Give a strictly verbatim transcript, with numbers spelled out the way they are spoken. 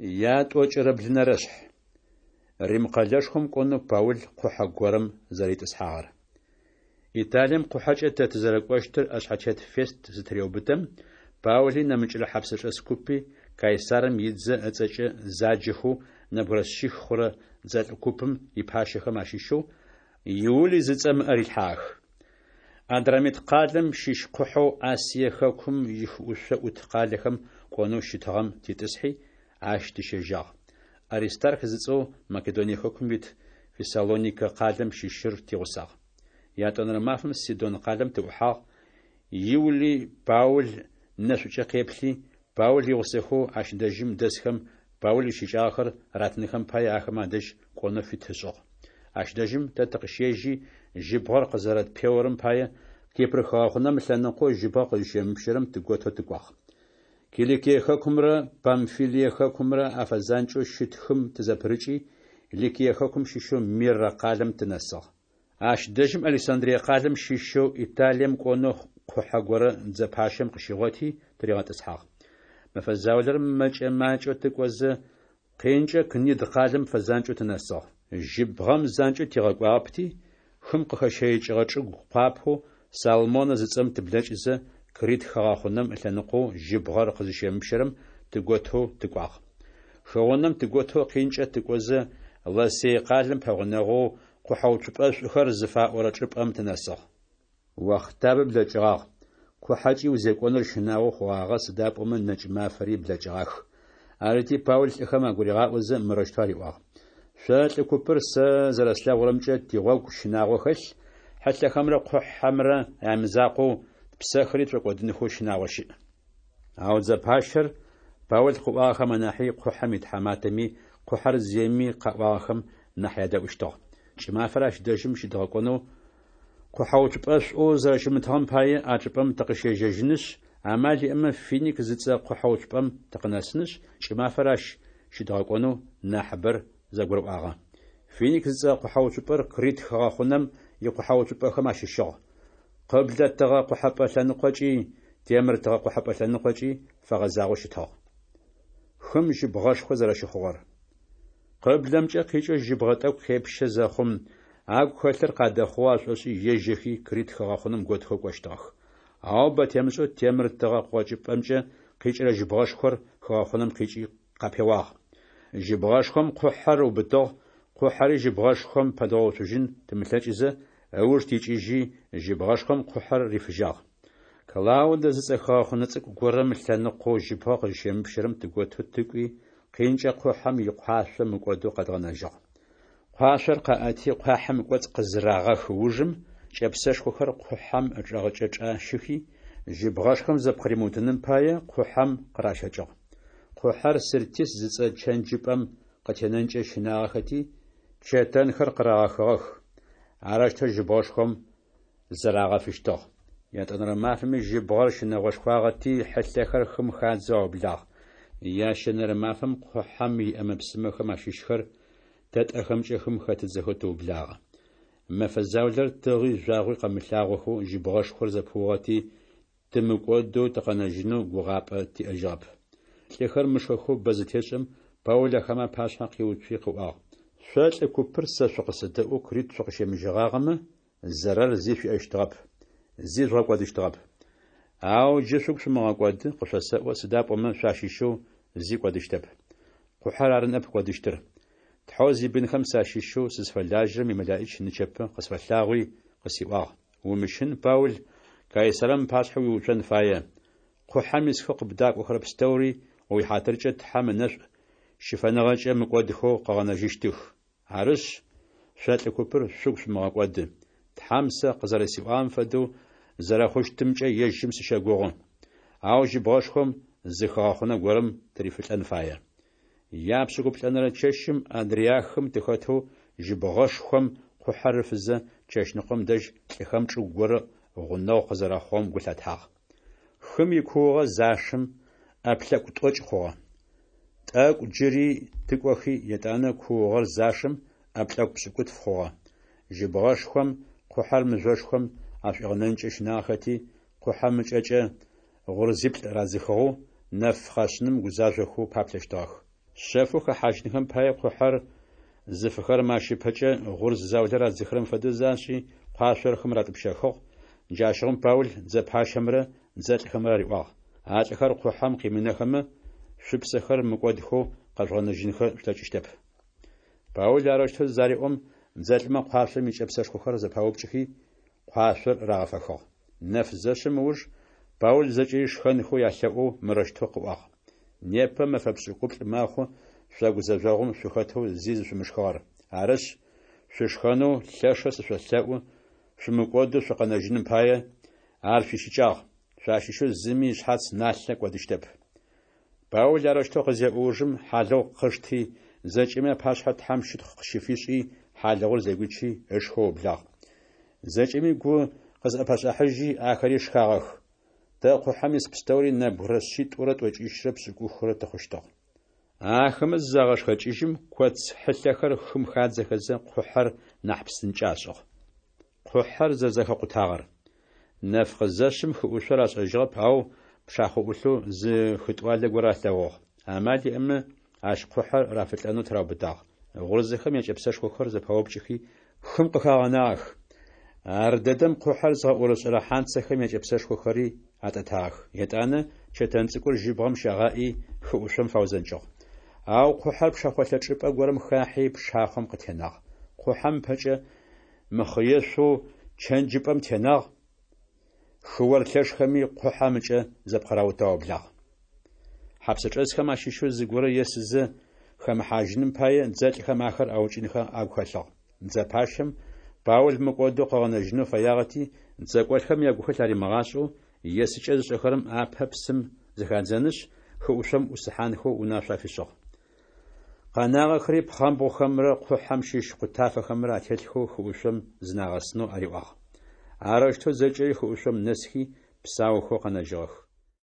Ятӏокӏырэ блынэрэшъхь. Рим къэлэшхом кӏонэу Паул къухьэ горэм зэритӏысхьагъэр. Италием къухьэкӏэ тэ тызэрэкӏощтыр ӏэшъхьэтет Фест зытыреубытэм, Паули нэмыкӏрэ хьапсэчӏэс купи Кайсарым идзэ ыцӏэкӏэ заджэхэу нэбгырэ шъих хъурэ дзэлӏ купым ипащэхэм ащыщэу Иулый зыцӏэм ыӏэ рилъхьагъэх. Адрамит къалэм щыщ къухьэу Асие хэкум ихыӏушъо ӏут къалэхэм кӏонэу щытыгъэм титӏысхьи, ащ тыщежьагъ. Аристарх зыцӏэу Македоние хэкум ит Фессалоникэ къалэм щыщыр тигъусагъ. Ятӏонэрэ мафэм Сидон къалэм тыӏухьагъ. Иулый Паул нэшӏукӏэ къеплъи, Паул игъусэхэу ащ дэжьым дэсхэм Паул ищыкӏагъэхэр ратынхэм пае, ахэмэ адэжь кӏонэу фит ышӏыгъ. Ащ дэжьым тэ тыкъыщежьи, жьыбгъэр къызэрэтпеорэм пае, Кипр хыгъэхъунэм ылъэныкъоу жьыбгъэ къызщемыпщэрэм тыготэу тыкӏуагъ. Киликие хэкумрэ Памфилие хэкумрэ афэзанкӏэу щыт хым тызэпырыкӏи, Ликие хэкум щыщэу Мирэ къалэм тынэсыгъ. Ащ дэжьым Александрие къалэм щыщэу Италием кӏонэу къухьэ горэ дзэ пащэм къыщигъоти тыригъэтӏысхьагъ. Мэфэ заулэрэ мэкӏэ-макӏэу тыкӏозэ, къинкӏэ Книд къалэм фэзанкӏэу тынэсыгъ. Жьыбгъэм занкӏэу тигъэкӏуагъэпти, хым къыхэщэикӏыгъэ чӏыгу къуапэу Салмонэ зыцӏэм тыблэкӏызэ, Крит хыгъэхъунэм ылъэныкъоу жьыбгъэр къызыщемыпщэрэм тыготэу тыкӏуагъ. Хыгъунэм тыготэу къинкӏэ тыкӏозэ, Ласей къалэм пэгъунэгъоу Къухьэуцупӏэшӏухэр зыфаӏорэ чӏыпӏэм тынэсыгъ. Охътабэ блэкӏыгъагъ, къухьэкӏи узекӏоныр щынагъо хъугъагъэ, сыда пӏомэ нэкӏ мафэри блэкӏыгъах. Арыти, Паул лӏыхэм агуригъаӏозэ, мырэущтэу ариӏуагъ: Шъо, лӏы купыр, сэ зэрэслъэгъурэмкӏэ, тигъогу щынагъо хэлъ, хьылъэхэмрэ къухьэмрэ ямызакъоу, тпсэхэри тшӏокӏодынхэу щынагъо щыӏ. Ау дзэ пащэр Паул къыӏуагъэхэм анахьи къухьэм итхьаматэми къухьэр зиеми къаӏуагъэхэм нахь ядэӏущтыгъ. Кӏымафэр ащ дэжьым щыдгъэкӏонэу къухьэуцупӏэшӏоу зэрэщымытыгъэм пае, а чӏыпӏэм тыкъыщежьэжьынышъ, амал иӏэмэ, Финик зыцӏэ къухьэуцупӏэм тыкъынэсынышъ, кӏымафэр ащ щыдгъэкӏонэу нахьыбэр зэгурыӏуагъэ. Финик зыцӏэ къухьэуцупӏэр Крит хыгъэхъунэм икъухьэуцупӏэхэм ащыщыгъ. Къыблэ тыгъэ къохьэпӏэ лъэныкъокӏи, темыр тыгъэ къохьэпӏэ лъэныкъокӏи фэгъэзагъэу щытыгъ. Хым жьыбгъэшхо зэрэщыхъугъэр. Къыблэмкӏэ къикӏэу жьыбгъэ тӏэкӏу къепщэ зэхъум, агу хэлъыр къадэхъугъэу ашӏошӏи ежьэхи Крит хыгъэхъунэм готхэу кӏощтыгъэх. Ау бэ темышӏэу темыр тыгъэ къокӏыпӏэмкӏэ къикӏырэ жьыбгъэшхор хыгъэхъунэм къикӏи къапеуагъ. Жьыбгъэшхом къухьэр ыубытыгъ, къухьэри жьыбгъэшхом пэдгъэуцужьын тымылъэкӏызэ, ыуж тикӏыжьи, жьыбгъэшхом къухьэр рифыжьагъ. Клаудэ зыцӏэ хыгъэхъунэ цӏыкӏу горэм ылъэныкъоу жьыбгъэ къызщемыпщэрэм тыготэу тыкӏуи, къинкӏэ къухьэм икъуашъо мыкӏодэу къэдгъэнэжьыгъ. Къуашъор къаӏэти, къуахьым ыкӏоцӏ къызырагъэх ужым, кӏэпсэшхохэр къухьэм ычӏэгъыкӏэ чӏащыхи, жьыбгъэшхом зэпкъыримыутыным пае, къухьэм къыращэкӏыгъ. Къухьэр Сиртис зыцӏэ чэнджыпӏэм къытенэнкӏэ щынагъэхэти, чэтэнхэр къырагъэхыгъэх. Арэущтэу жьыбгъэшхом зырагъэфыщтыгъ. Ятӏонэрэ мафэми жьыбгъэр щынэгъошхуагъэти, хьылъэхэр хым хадзэу аублагъ. Ящэнэрэ мафэм къухьэм иӏэмэ-псымэхэм ащыщхэр тэ тӏэхэмкӏэ хым хэтыдзэхэу тыублагъэ. Мэфэ заулэрэ тыгъи жъуагъуи къэмылъагъохэу жьыбгъэшхор зэпыугъэти, тымыкӏодэу тыкъэнэжьынэу гугъапӏэ тиӏэжьыгъэп. Лӏыхэр мышхэхэу бэ зытешӏэм, Паул ахэмэ апашъхьэ къиуцуи къыӏуагъ: Шъо лӏы купыр сэ шъукъысэдэӏоу Крит шъукъыщемыжьэгъагъэмэ, зэрэр зи шъуиӏэщтыгъэп, зи жъугъэкӏодыщтыгъэп. Ау джы шъугу шъумыгъэкӏоды, къышъосэӏо, сыда пӏомэ шъуащыщэу зи кӏодыщтэп. Къухьэр ары ныӏэп кӏодыщтыр. Тхьэу зибынхэм сащыщэу сызфэлажьэрэм имэлэӏич нычэпэ къысфэлъагъуи къысиӏуагъ: Умыщын, Паул, Кайсарым ыпашъхьэ уиуцон фае. Къухьэм исхэу къыбдакӏохэрэ пстэури о уихьатыркӏэ Тхьэм ынэшӏу щыфэныгъэкӏэ мыкӏодхэу къыгъэнэжьыщтых. Арышъ, шъо лӏы купыр шъугу шъумыгъэкӏоды. Тхьэм сэ къызэрэсиӏуагъэм фэдэу зэрэхъущтымкӏэ ежьым сыщэгугъы. Ау жьыбгъэшхом зы хыгъэхъунэ горэм тырифылӏэн фае. Япшӏыкӏуплӏэнэрэ чэщым Адриахым тыхэтэу жьыбгъэшхом къухьэр ыфызэ, чэщныкъом дэжь лӏыхэм чӏыгу горэ гъунэгъу къызэрэхъугъэм гу лъатагъ. Хым икуугъэ зашэм, ӏэплъэкӏу тӏокӏ хъугъэ. Тӏэкӏу джыри тыкӏохи, етӏанэ куугъэр зашэм, ӏэплъэкӏу пшӏыкӏутф хъугъэ. Жьыбгъэшхом къухьэр мыжъошхом ашӏуигъэнэнкӏэ щынагъэхэти, къухьэм ыкӏэкӏэ гъурзиплӏ радзыхыгъэу, нэф къэшъыным гузажъохэу паплъэщтыгъэх. Шъэфэу хэхьажьынхэм пае къухьэр зыфыхэрэм ащ ыпэкӏэ гъурз заулэ радзыхырэм фэдэу зашӏи, къуашъор хым ратӏупщэхыгъ. Джащыгъум Паул дзэ пащэмрэ дзэлӏхэмрэ ариӏуагъ: А лӏыхэр къухьэм къимынэхэмэ, шъупсэхэр мыкӏодхэу къэжъугъэнэжьынхэ шъулъэкӏыщтэп. Паул арэущтэу зареӏом, дзэлӏмэ къуашъом икӏэпсэшхохэр зэпаупкӏыхи, къуашъор рагъэфэхыгъ. Нэф зэшъым ыуж Паул зэкӏэри шхэнхэу ялъэӏоу мырэущтэу къыӏуагъ: Непэ мэфэ пшӏыкӏуплӏ мэхъу шъо гузэжъогъум шъухэтэу зи зышъумышхыгъэр. Арышъ, шъушхэнэу лъэшэу сышъолъэӏу, шъумыкӏодэу шъукъэнэжьыным пае ар шъуищыкӏагъ, шъуащыщэу зыми ышъхьац налъэ кӏодыщтэп. Паул арэущтэу къызеӏо ужым, хьалыгъу къышти, зэкӏэми апашъхьэ Тхьэм щытхъу къыщыфишӏи, хьалыгъур зэгуичи ышхэу ыублагъ. Зэкӏэми гу къызӏэпашӏахьыжьи, ахэри шхагъэх. Тэ къухьэм ис пстэури нэбгырэ шъитӏурэ тӏокӏищрэ пшӏыкӏухрэ тыхъущтыгъ. Ахэмэ зызагъэшхэкӏыжьым, коц хьылъэхэр хым хадзэхэзэ, къухьэр нахь псынкӏэ ашӏыгъ. Къухьэр зэрэзэхэкъутагъэр. Нэф къызэшъым хыӏушъор ашӏэжьыгъэп, ау пшахъо ӏулъэу зы хытӏуалэ горэ алъэгъугъ. Амал иӏэмэ, ащ къухьэр рафылӏэнэу тыраубытагъ. Гъурзэхэм якӏэпсэшхохэр зэпаупкӏыхи, хым къыхагъэнагъэх. Ардэдэм къухьэр зыгъэӏорышӏэрэ хьанцэхэм якӏэпсэшхохэри атӏэтагъэх. Етӏанэ чэтэн цӏыкӏур жьыбгъэм щагъаӏи, хы ӏушъом фаузэнкӏыгъ. Ау къухьэр пшэхъолъэ чӏыпӏэ горэм хахьи, пшахъом къытенагъ. Къухьэм ыпэкӏэ мыхъыешъоу чэнджыпӏэм тенагъ, хыор лъэшхэми къухьэм ыкӏэ зэпкъыраутэу аублагъ. Хьапсычӏэсхэм ащыщэу зыгорэ есызэ хэмыхьажьыным пае дзэлӏхэм ахэр аукӏынхэ агу хэлъыгъ. Дзэ пащэм Паул мыкӏодэу къыгъэнэжьынэу фэягъэти, дзэкӏолӏхэм ягухэлъ аримыгъашӏэу, есыкӏэ зышӏэхэрэм апэ псым зыхадзэнышъ, хы ӏушъом ӏусыхьанхэу унашъо афишӏыгъ. Къэнагъэхэри пхъэмбгъухэмрэ къухьэм щыщ къутафэхэмрэ ателъхэу хы ӏушъом зынагъэсынэу ариӏуагъ. Арэущтэу зэкӏэри хы ӏушъом нэсхи, псаухэу къэнэжьыгъэх.